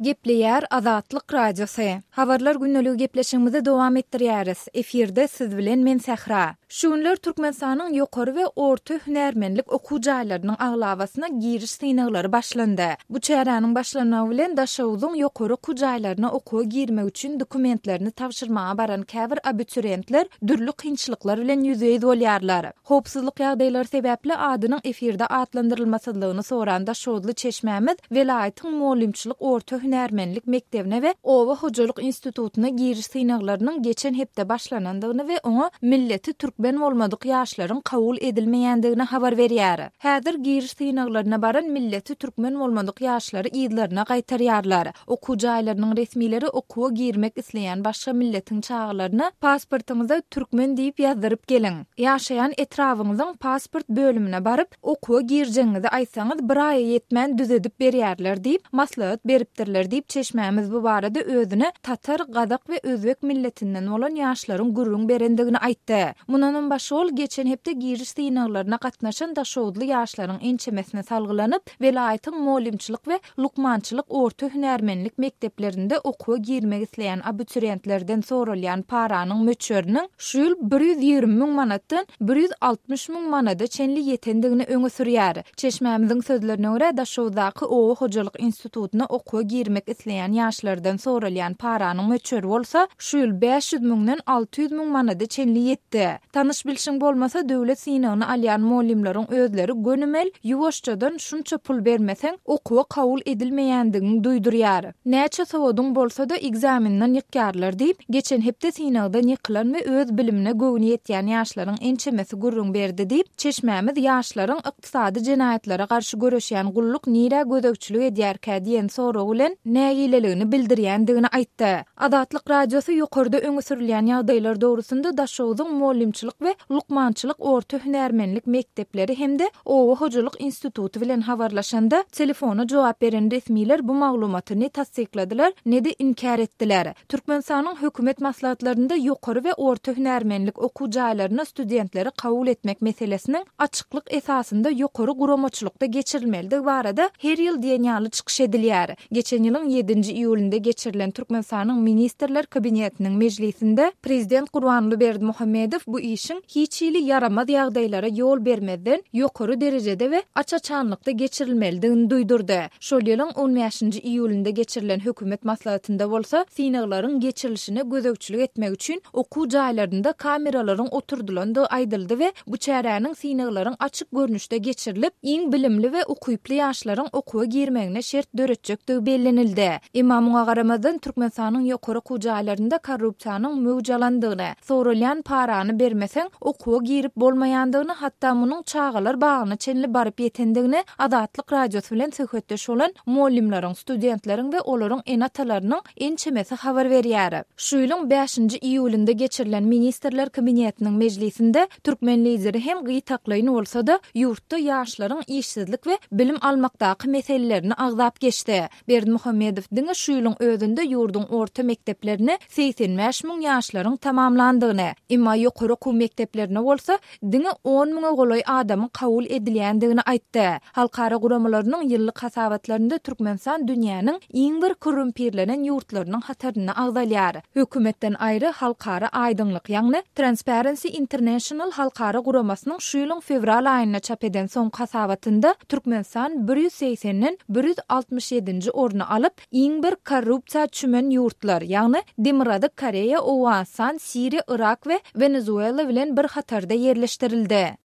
Gepleýär Azatlyk Radiosy. Habarlar gündeligi gepleşigimizi dowam etdirýäris. Efirde siz bilen men Sähra. Şu günler Türkmenistanyň ýokary we orta hünärmenlik okuw jaýlarynyň aglabasyna giriş synaglary başlandy. Bu çäräniň başlanmagy bilen Daşoguzyň ýokary okuw jaýlaryna okuwa girmek üçin dokumentlerini tabşyrmaga baran käbir abiturentler dürli kynçylyklar bilen ýüzbe-ýüz bolýarlar. Howpsuzlyk ýagdaýlary sebäpli adynyň efirde atlandyrylmasyzlygyny soran daşoguzly çeşmämiz welaýatyň mugallymçylyk orta hünärmenlik mekdebine we oba hojalyk institutyna giriş synaglarynyň geçen hepde başlanandygyny we oňa milleti türkmen bolmadyk ýaşlaryň kabul edilmeýändigini habar berýär. Häzir giriş synaglaryna baran milleti türkmen bolmadyk ýaşlary yzlaryna gaýtarýarlar. Okuw jaýlarynyň resmileri okuwa girmek isleýän başga milletiň çagalaryna pasportyňyza türkmen diýip ýazdyryp geliň. Ýaşaýan etrabyňyzyň pasport bölümine baryp, okuwa girjegiňizi aýtsaňyz bir aýa ýetmän düzedip berýärler diýip, maslahat beripdirler diýip, çeşmämiz bu barada özüne tatar, gazak we özbek milletinden bolan ýaşlaryň gürrüň berendigini aýtdy. Mundanam başga ol geçen hepde giriş synaglaryna gatnaşan daşoguzly ýaşlaryň ençemesine salgylanyp, welaýatyň mugallymçylyk we lukmançylyk orta hünärmenlik mekdeplerinde okuwa girmek isleýän abiturentlerden soralýan paranyň möçberiniň şu ýyl 120 müň manatdan 160 müň manada çenli ýetendigini öňe sürýär. Çeşmämiziň sözlerine görä, Daşoguzdaky oba hojalyk institutyna okuwa girmek isleýän ýaşlardan soralýan paranyň möçberi bolsa şu ýyl 500 müňden 600 müň manada çenli ýetdi. Tanyş-bilşiň bolmasa, döwlet synagyny alýan mugallymlaryň özleri gönümel, ýuwaşjadan şunça pul bermeseň, okuwa kabul edilmeýändigiňi duýdurýar. Näçe sowadyň bolsa-da, ekzamenden ýykýarlar diýip, geçen hepde synagdan ýykylan we öz bilimine göwni ýetýän ýaşlaryň ençemesi gürrüň berdi diýip, çeşmämiz ýaşlaryň Ykdysady jenaýatlara garşy göreşýän gulluk nirä gözegçilik edýärkä diýen sorag bilen nägileligini bildirýändigini aýtdy. Azatlyk Radiosy ýokarda öňe sürülýän ýagdaýlar dogrusynda Daşogzuň mugallymçylyk we lukmançylyk orta hünärmenlik mekdepleri hem-de oba hojalyk instituty bilen habarlaşanda, telefona jogap beren resmiler bu maglumaty ne tassykladylar, ne-de inkär etdiler. Türkmenistanyň hökümet maslahatlarynda ýokary we orta hünärmenlik okuw jaýlaryna studentleri kabul etmek meselesiniň açyklyk esasynda ýokary guramaçylykda geçirilmelidigi barada her ýyl diýen ýaly çykyş edilýär. Geçen ýylyň ýedinji iýulynda geçirilen Türkmenistanyň Ministrler Kabinetiniň mejlisinde Prezident Gurbanguly Berdimuhamedow bu işiň hiç hili ýaramaz ýagdaýlara ýol bermezden ýokary derejede we aç-açanlykda geçirilmelidigini duýdurdy. Şol ýylyň on bäşinji iýulynda geçirilen hökümet maslahatynda bolsa synaglaryň geçirilişine gözegçilik etmek üçin okuw jaýlarynda kameralaryň oturdylandygy aýdyldy we bu çäräniň synaglaryň açyk görnüşde geçirilip, iň bilimli we ukyply ýaşlaryň okuwa girmegine şert döretjekdigi bellenildi. Emma muňa garamazdan, Türkmenistanyň ýokary okuw jaýlarynda korrupsiýanyň möwç alandygyny, soralýan parany bermeseň, okuwa girip bolmaýandygyny, hatda munuň çagalar bagyna çenli baryp ýetendigini Azatlyk Radiosy bilen söhbetdeş bolan mugallymlaryň, studentleriň we olaryň ene-atalarynyň ençemesi habar berýär. Şu ýylyň bäşinji iýulynda geçirilen Ministrler Kabinetiniň mejlisinde türkmen Lideri hem gytaklaýyn bolsa-da, ýurtda ýaşlaryň işsizlik we bilim almakdaky meselelerini agzap geçdi. Berdimuhamedow diňe şu ýylyň özünde ýurduň orta mekdeplerini 85 müň ýaşlaryň tamamlandygyny, emma ýokary okuw mekdeplerine bolsa diňe on müňe golaý adamyň kabul edilýändigini aýtdy. Halkara guramalarynyň ýyllyk hasabatlarynda Türkmenistan dünýäniň iň bir korrumpirlenen ýurtlarynyň hatarynda agzalýar. Hökümetden aýry Halkara aýdyňlyk, ýagny Transparency International halkara guramasynyň şu ýylyň fewral aýynda çap eden soňky hasabatynda Türkmenistan bir ýüz segsenden bir ýüz altmyş ýedinji orny alyp, iň bir korrupsiýa çümen ýurtlar, ýagny Demirgazyk Koreýa, Owganystan, Siriýa, Yrak we Wenezuela bilen bir hatarda ýerleşdirildi.